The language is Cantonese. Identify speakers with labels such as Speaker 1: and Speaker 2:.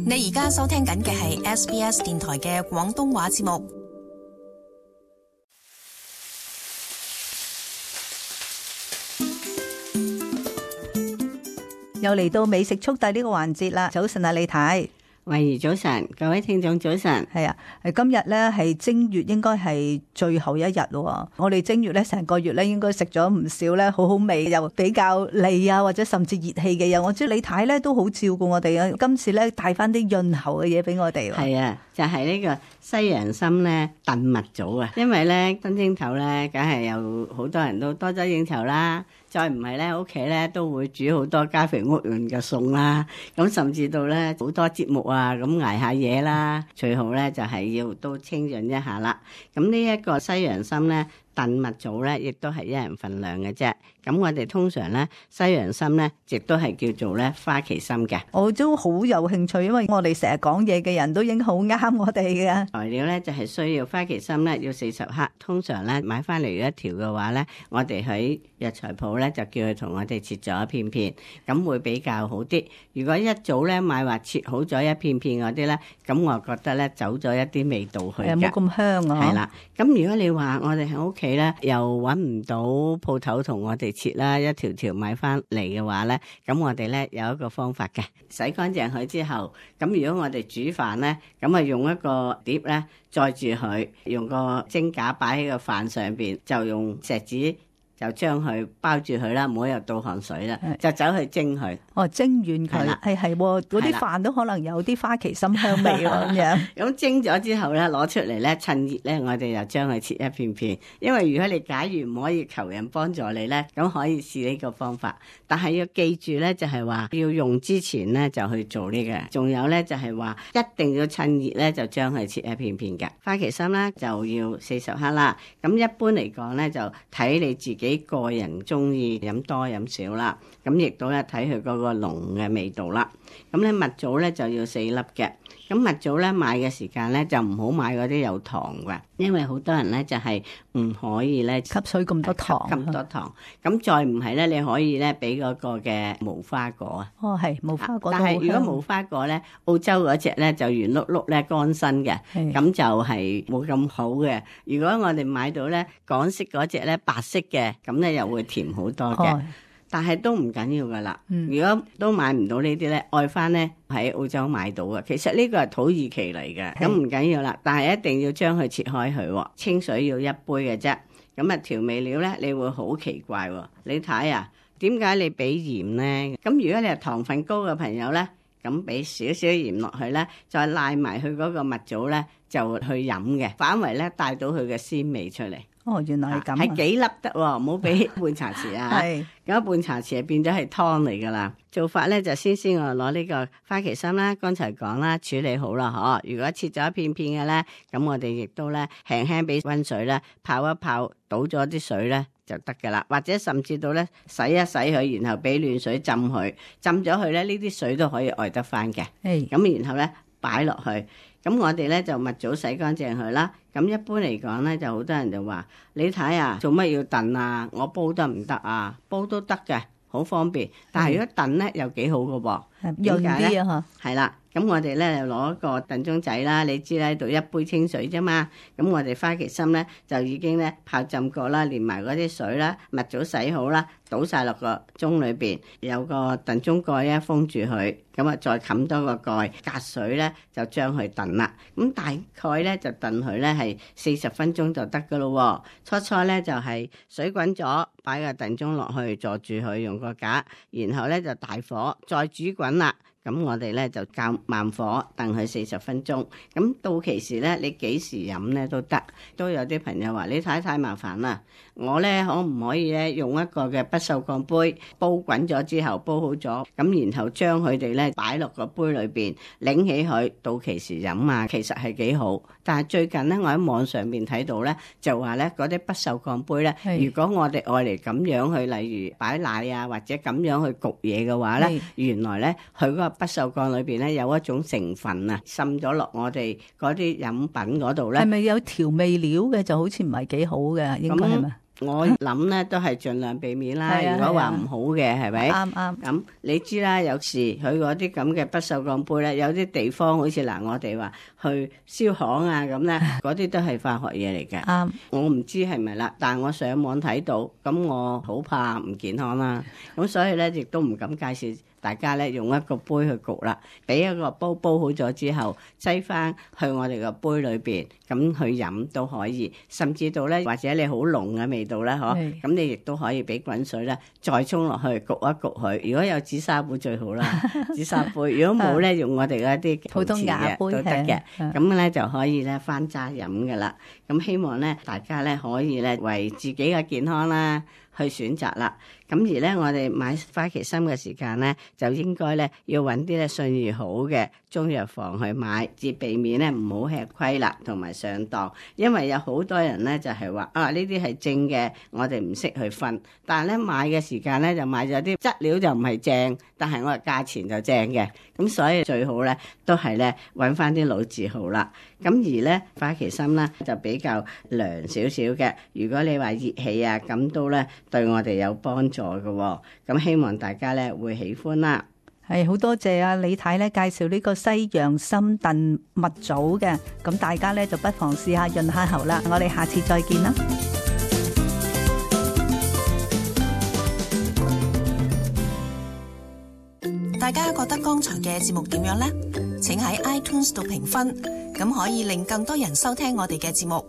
Speaker 1: 你而家收聽緊嘅係 SBS 電台嘅廣東話節目。
Speaker 2: 又嚟到美食速遞呢個環節啦！早晨啊，李太，
Speaker 3: 慧怡早晨，各位聽眾早晨。
Speaker 2: 係啊，今日咧係正月，應該係最後一日咯。我哋正月咧成個月咧應該食咗唔少咧，好好味又比較膩啊，或者甚至熱氣嘅嘢。我知李太咧都好照顧我哋啊，今次咧帶翻啲潤喉嘅嘢俾我哋。
Speaker 3: 係啊，就係呢個西洋參咧燉蜜棗啊，因為咧新正頭咧，梗係有好多人都多咗應酬啦。再唔係咧，屋企咧都會煮好多家肥屋潤嘅餸啦。咁甚至到咧好多節目啊，咁捱下嘢啦。最好咧就係要都清潤一下啦。咁呢一個西洋參咧燉蜜棗咧，亦都係一人份量嘅啫。咁我哋通常咧西洋參咧，亦都係叫做咧花旗參嘅。
Speaker 2: 我都好有興趣，因為我哋成日講嘢嘅人都已經好啱我哋嘅。
Speaker 3: 材料咧就係需要花旗參咧要40克，通常咧買翻嚟一條嘅話咧，我哋喺藥材鋪咧就叫佢同我哋切咗一片片，咁會比較好啲。如果一早咧買話切好咗一片片嗰啲咧，咁我覺得咧走咗一啲味道去嘅，
Speaker 2: 冇咁香啊。
Speaker 3: 係啦，咁如果你話我哋喺屋企咧又揾唔到鋪頭同我哋切啦，一條條買翻嚟嘅話咧，咁我哋咧有一個方法嘅，洗乾淨佢之後，咁如果我哋煮飯咧，咁啊用一個碟咧載住佢，用個蒸架擺喺個飯上邊，就用錫紙就將佢包住佢啦，唔好又倒汗水啦，就走去蒸佢。
Speaker 2: 哦，蒸軟佢，係嗰啲飯都可能有啲花旗參香味喎咁樣。
Speaker 3: 咁蒸咗之後咧，攞出嚟咧，趁熱咧，我哋就將佢切一片片。因為如果你假如唔可以求人幫助你咧，咁可以試呢個方法。但係要記住咧，就係話要用之前咧就去做呢個。仲有咧就係話一定要趁熱咧就將佢切一片片嘅。花旗參咧就要40克啦。咁一般嚟講咧就睇你自己個人中意飲多飲少啦。咁亦都咧睇佢嗰個濃嘅味道啦。咁咧蜜棗咧就要4粒嘅。咁蜜棗咧買嘅時間咧就唔好買嗰啲有糖嘅，因為好多人咧就係唔可以咧
Speaker 2: 吸水咁多糖，
Speaker 3: 咁多糖。咁再唔係咧，你可以咧俾嗰個嘅無花果啊。
Speaker 2: 哦，係無花果。
Speaker 3: 但係如果無花果咧，澳洲嗰隻咧就圓碌碌咧乾身嘅，咁就係冇咁好嘅。如果我哋買到咧港式嗰隻咧白色嘅，咁咧又會甜好多嘅。但係都唔緊要噶啦，如果都買唔到呢啲咧，愛翻咧喺澳洲買到嘅。其實呢個係土耳其嚟嘅，咁唔緊要啦。但係一定要將佢切開佢，清水要1杯嘅啫。咁啊調味料咧，你會好奇怪喎。你睇啊，點解你俾鹽咧？咁如果你係糖分高嘅朋友咧，咁俾少少鹽落去咧，再賴埋佢嗰個蜜棗咧，就去飲嘅，反為咧帶到佢嘅鮮味出嚟。
Speaker 2: 哦，原來係咁，
Speaker 3: 係幾粒得喎，唔好俾半茶匙啊！係咁半茶匙變咗係湯嚟噶啦。做法咧就先我攞呢個花旗參啦，剛才講啦，處理好啦嗬。如果切咗一片片嘅咧，咁我哋亦都咧輕輕俾溫水咧泡一泡，倒咗啲水咧就得噶啦。或者甚至到咧洗一洗佢，然後俾暖水浸佢，浸咗佢咧呢啲水都可以愛得翻嘅。咁然後咧擺落去。咁我哋咧就蜜棗洗乾淨佢啦。咁一般嚟講咧，就好多人就話：你睇啊，做乜要燉啊？我煲得唔得啊？煲都得嘅，好方便。但係如果燉咧又幾好嘅噃，
Speaker 2: 潤啲啊！
Speaker 3: 係啦。咁我哋咧就攞一個燉盅仔啦，你知啦，喺度1杯清水啫嘛。咁我哋花旗參咧就已經咧泡浸過啦，連埋嗰啲水啦，蜜棗洗好啦，倒晒落個盅裏邊，有個燉盅蓋咧封住佢，咁啊再冚多個蓋，隔水咧就將佢燉啦。咁大概咧就燉佢咧係40分鐘就得噶咯。初初咧就係水滾咗，擺個燉盅落去坐住佢，用個架，然後咧就大火再煮滾啦。咁我哋咧就較慢火燉佢40分鐘，咁到期時咧你幾時飲咧都得。都有啲朋友話你太麻煩啦，我咧可唔可以咧用一個嘅不鏽鋼杯煲滾咗之後煲好咗，咁然後將佢哋咧擺落個杯裏邊，擰起佢到期時飲啊，其實係幾好。但係最近咧我喺網上面睇到咧就話咧嗰啲不鏽鋼杯咧，如果我哋愛嚟咁樣去，例如擺奶啊或者咁樣去焗嘢嘅話咧，原來咧佢嗰個不鏽鋼裏邊咧有一種成分啊，滲咗落我哋嗰啲飲品嗰度咧。
Speaker 2: 係咪有調味料嘅？就好似唔係幾好嘅，應該係咪？
Speaker 3: 我諗咧都係盡量避免啦。如果話唔好嘅，係咪？
Speaker 2: 啱啱。
Speaker 3: 咁你知啦，有時佢嗰啲咁嘅不鏽鋼杯咧，有啲地方好似我哋話去燒行啊咁咧，嗰啲都係化學嘢嚟嘅。
Speaker 2: 啱。
Speaker 3: 我唔知係咪啦，但係我上網睇到，咁我好怕唔健康啦。咁所以咧，亦都唔敢介紹大家咧用一個杯去焗啦，俾一個煲好咗之後，擠翻去我哋個杯裏邊，咁去飲都可以。甚至到咧，或者你好濃嘅味道咧，嗬，咁你亦都可以俾滾水咧，再沖落去焗一焗佢。如果有紫砂杯最好啦，紫砂杯。如果冇咧，用我哋嗰啲
Speaker 2: 普通瓦杯
Speaker 3: 都得嘅。咁咧就可以咧翻揸飲噶啦。咁希望咧大家咧可以咧為自己嘅健康啦去選擇啦。咁而咧，我哋買花旗參嘅時間咧，就應該咧要揾啲咧信譽好嘅中藥房去買，至避免咧唔好吃虧啦，同埋上當。因為有好多人咧就係話呢啲係正嘅，我哋唔識去分。但係咧買嘅時間咧就買咗啲質料就唔係正，但係我哋價錢就正嘅。咁所以最好咧都係咧揾翻啲老字號啦。咁而咧花旗參咧就比較涼少少嘅。如果你話熱氣啊，咁都咧對我哋有幫助嘅。咁希望大家咧會喜歡啦。
Speaker 2: 係好多謝啊李太咧介紹呢個西洋參燉蜜棗嘅，咁大家咧就不妨試下潤下喉啦。我哋下次再見啦。
Speaker 1: 大家覺得剛才嘅節目點樣呢？請喺 iTunes 度評分，咁可以令更多人收聽我哋嘅節目。